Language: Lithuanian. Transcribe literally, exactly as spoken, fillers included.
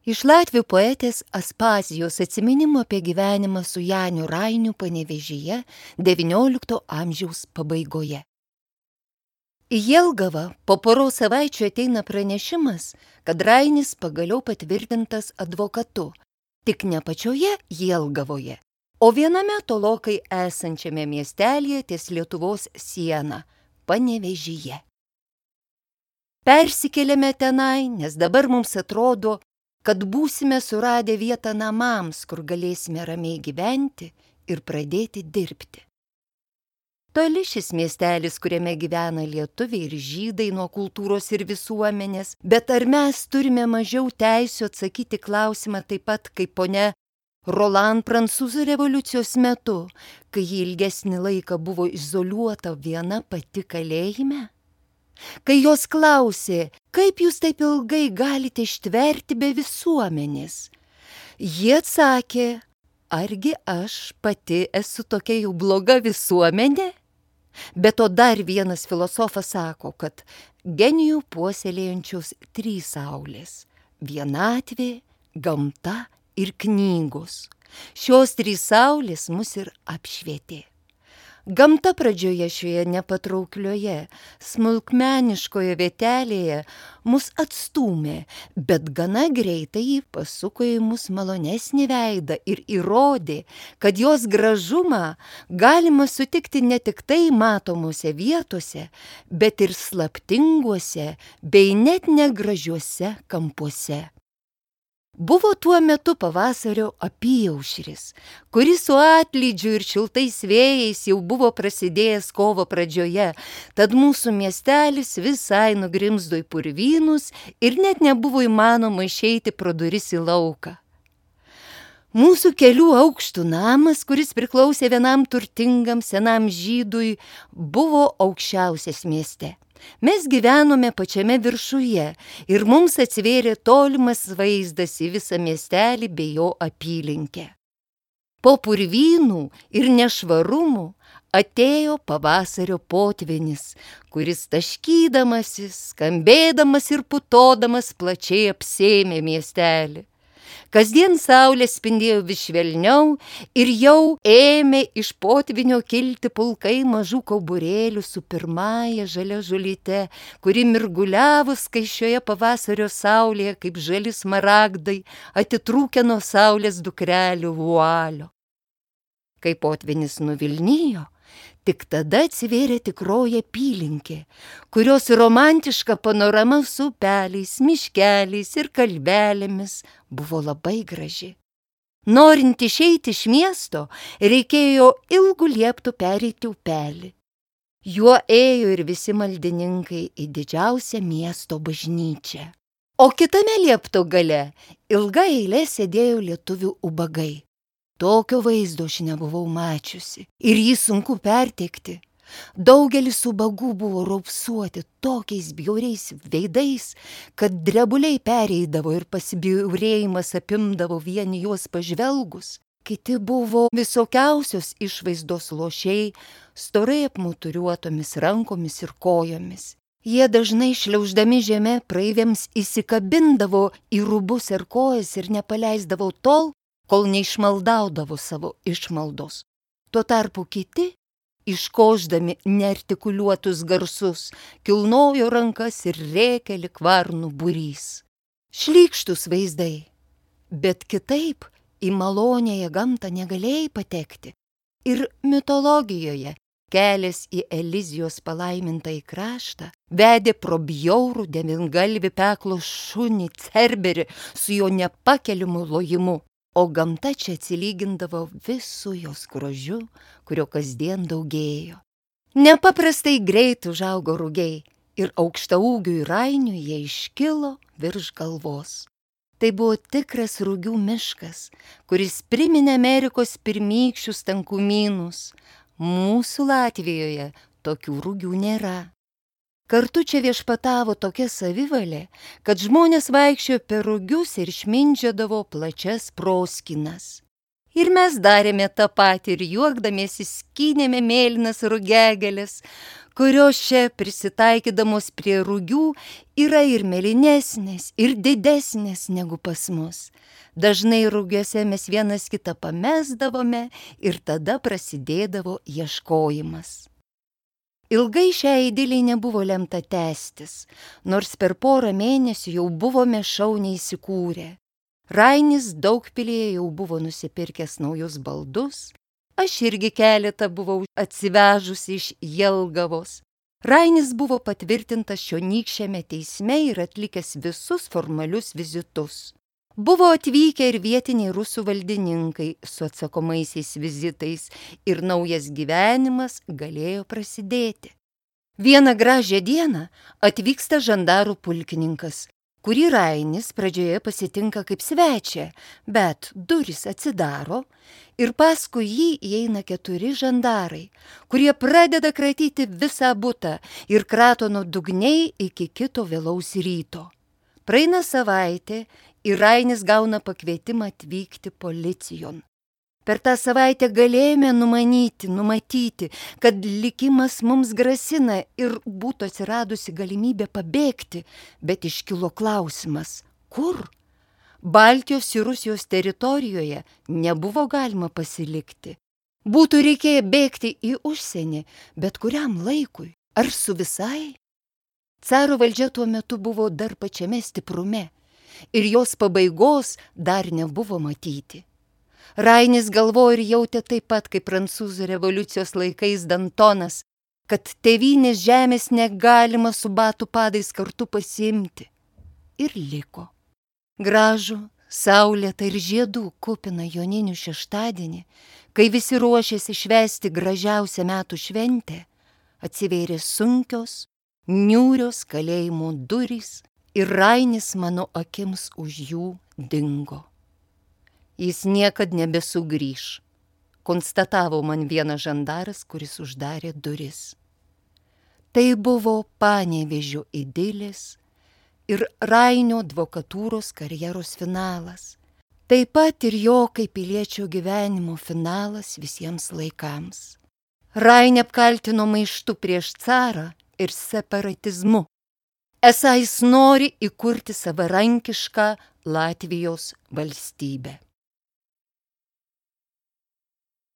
Iš latvių poetės Aspazijos atsiminimų apie gyvenimą su Janiu Rainiu Panevėžyje devyniolikto amžiaus pabaigoje. Į Jelgavą po poros savaičių ateina pranešimas, kad Rainis pagaliau patvirtintas advokatu, tik ne pačioje Jelgavoje, o viename tolokai esančiame miestelėje ties Lietuvos siena – Panevėžyje. Persikėlėme tenai, nes dabar mums atrodo, kad būsime suradę vietą namams, kur galėsime ramiai gyventi ir pradėti dirbti. Toli šis miestelis, kuriame gyvena lietuviai ir žydai nuo kultūros ir visuomenės, bet ar mes turime mažiau teisių atsakyti klausimą taip pat kaip ponia Roland Prancūzų revoliucijos metu, kai ji ilgesnį laiką buvo izoliuota viena pati kalėjime? Kai jos klausė, kaip jūs taip ilgai galite ištverti be visuomenės, jie atsakė, argi aš pati esu tokia jau bloga visuomenė? Bet to dar vienas filosofas sako, kad genijų puoselėjančios trys saulės – vienatvė, gamta ir knygos. Šios trys saulės mus ir apšvietė. Gamta pradžioje šioje nepatrauklioje, smulkmeniškoje vietelėje mus atstūmė, bet gana greitai ji pasuko į mus malonesnį veidą ir įrodė, kad jos gražumą galima sutikti ne tik tai matomose vietose, bet ir slaptinguose bei net negražiuose kampuose. Buvo tuo metu pavasario apyaušris, kuris su atlydžiu ir šiltais vėjais jau buvo prasidėjęs kovo pradžioje, tad mūsų miestelis visai nugrimzdo į purvynus ir net nebuvo įmanoma išeiti pro duris į lauką. Mūsų kelių aukštų namas, kuris priklausė vienam turtingam senam žydui, buvo aukščiausias mieste. Mes gyvenome pačiame viršuje ir mums atsivėrė tolimas vaizdas į visą miestelį bei jo apylinkę. Po purvynų ir nešvarumų atėjo pavasario potvynis, kuris taškydamasis, skambėdamas ir putodamas plačiai apsėmė miestelį. Kasdien saulė spindėjo vis švelniau ir jau ėmė iš potvynio kilti pulkai mažų kauburėlių su pirmąja žalia žolyte, kuri mirguliavo skaisčioje pavasario saulėje kaip žali smaragdai, atitrūkę nuo saulės dukrelių vualio. Kai potvynis nuvilnijo, tik tada atsivėrė tikroji apylinkė, kurios romantiška panorama su upeliais, miškeliais ir kalvelėmis buvo labai graži. Norint išeiti iš miesto, reikėjo ilgų lieptų pereiti upelį. Juo ėjo ir visi maldininkai į didžiausią miesto bažnyčią. O kitame liepto gale ilga eilė sėdėjo lietuvių ubagai. Tokio vaizdo aš nebuvau mačiusi ir jį sunku perteikti. Daugelis ubagų buvo raupsuoti tokiais bjauriais veidais, kad drebuliai pereidavo ir pasibjaurėjimas apimdavo vien juos pažvelgus. Kiti buvo visokiausios išvaizdos lošiai, storai apmuturiuotomis rankomis ir kojomis. Jie dažnai šliauždami žeme praeiviams įsikabindavo į rūbus ir kojas ir nepaleisdavo tol, kol neišmaldaudavo savo išmaldos. Tuo tarpu kiti, iškošdami neartikuliuotus garsus, kilnojo rankas ir rėkė lyg varnų būrys. Šlykštus vaizdai, bet kitaip į malonėje gamtą negalėjai patekti. Ir mitologijoje kelias į Elizijos palaimintąjį kraštą vedė pro bjaurų devyngalvį peklo šunį Cerberį su jo nepakeliamu lojimu. O gamta čia atsilygindavo visų jos grožiu, kurio kasdien daugėjo. Nepaprastai greit užaugo rugiai ir aukštaūgiui Rainiui jie iškilo virš galvos. Tai buvo tikras rugių miškas, kuris priminė Amerikos pirmykščius tankumynus. Mūsų Latvijoje tokių rugių nėra. Kartu čia viešpatavo tokia savivalė, kad žmonės vaikščiojo per rugius ir šmindžiodavo plačias proskynas. Ir mes darėme tą patį ir juokdamiesi skynėme mėlynas rugiagėles, kurios čia prisitaikydamos prie rugių yra ir mėlynesnės, ir didesnės negu pas mus. Dažnai rugiuose mes vienas kitą pamesdavome ir tada prasidėdavo ieškojimas. Ilgai šiai idiliai nebuvo lemta tęstis, nors per porą mėnesių jau buvome šauniai įsikūrę. Rainis Daugpilyje jau buvo nusipirkęs naujus baldus, aš irgi keletą buvau atsivežusi iš Jelgavos. Rainis buvo patvirtintas čionykščiame teisme ir atlikęs visus formalius vizitus. Buvo atvykę ir vietiniai rusų valdininkai su atsakomaisiais vizitais ir naujas gyvenimas galėjo prasidėti. Vieną gražią dieną atvyksta žandarų pulkininkas, kurį Rainis pradžioje pasitinka kaip svečią, bet durys atsidaro ir paskui jį įeina keturi žandarai, kurie pradeda kratyti visą butą ir krato nuo dugniai iki kito vėlaus ryto. Praeina savaitė ir Rainis gauna pakvietimą atvykti policijon. Per tą savaitę galėjome numanyti, numatyti, kad likimas mums grasina ir būtų atsiradusi galimybė pabėgti, bet iškilo klausimas, kur? Baltijos ir Rusijos teritorijoje nebuvo galima pasilikti. Būtų reikėję bėgti į užsienį, bet kuriam laikui, ar su visai? Caro valdžia tuo metu buvo dar pačiame stiprume ir jos pabaigos dar nebuvo matyti. Rainis galvojo ir jautė taip pat, kaip prancūzų revoliucijos laikais Dantonas, kad tėvynės žemės negalima su batų padais kartu pasiimti. Ir liko. Gražų, saulėtą ir žiedų kupiną joninių šeštadienį, kai visi ruošėsi švęsti gražiausią metų šventę, atsivėrė sunkios, niūrios kalėjimo durys ir Rainis mano akims už jų dingo. Jis niekad nebesugrįš, konstatavo man vienas žandaras, kuris uždarė duris. Tai buvo Panevėžio idilės ir Rainio advokatūros karjeros finalas. Taip pat ir jo kaip piliečio gyvenimo finalas visiems laikams. Rainį apkaltino maištu prieš carą ir separatizmu. Esą jis nori įkurti savarankišką Latvijos valstybę.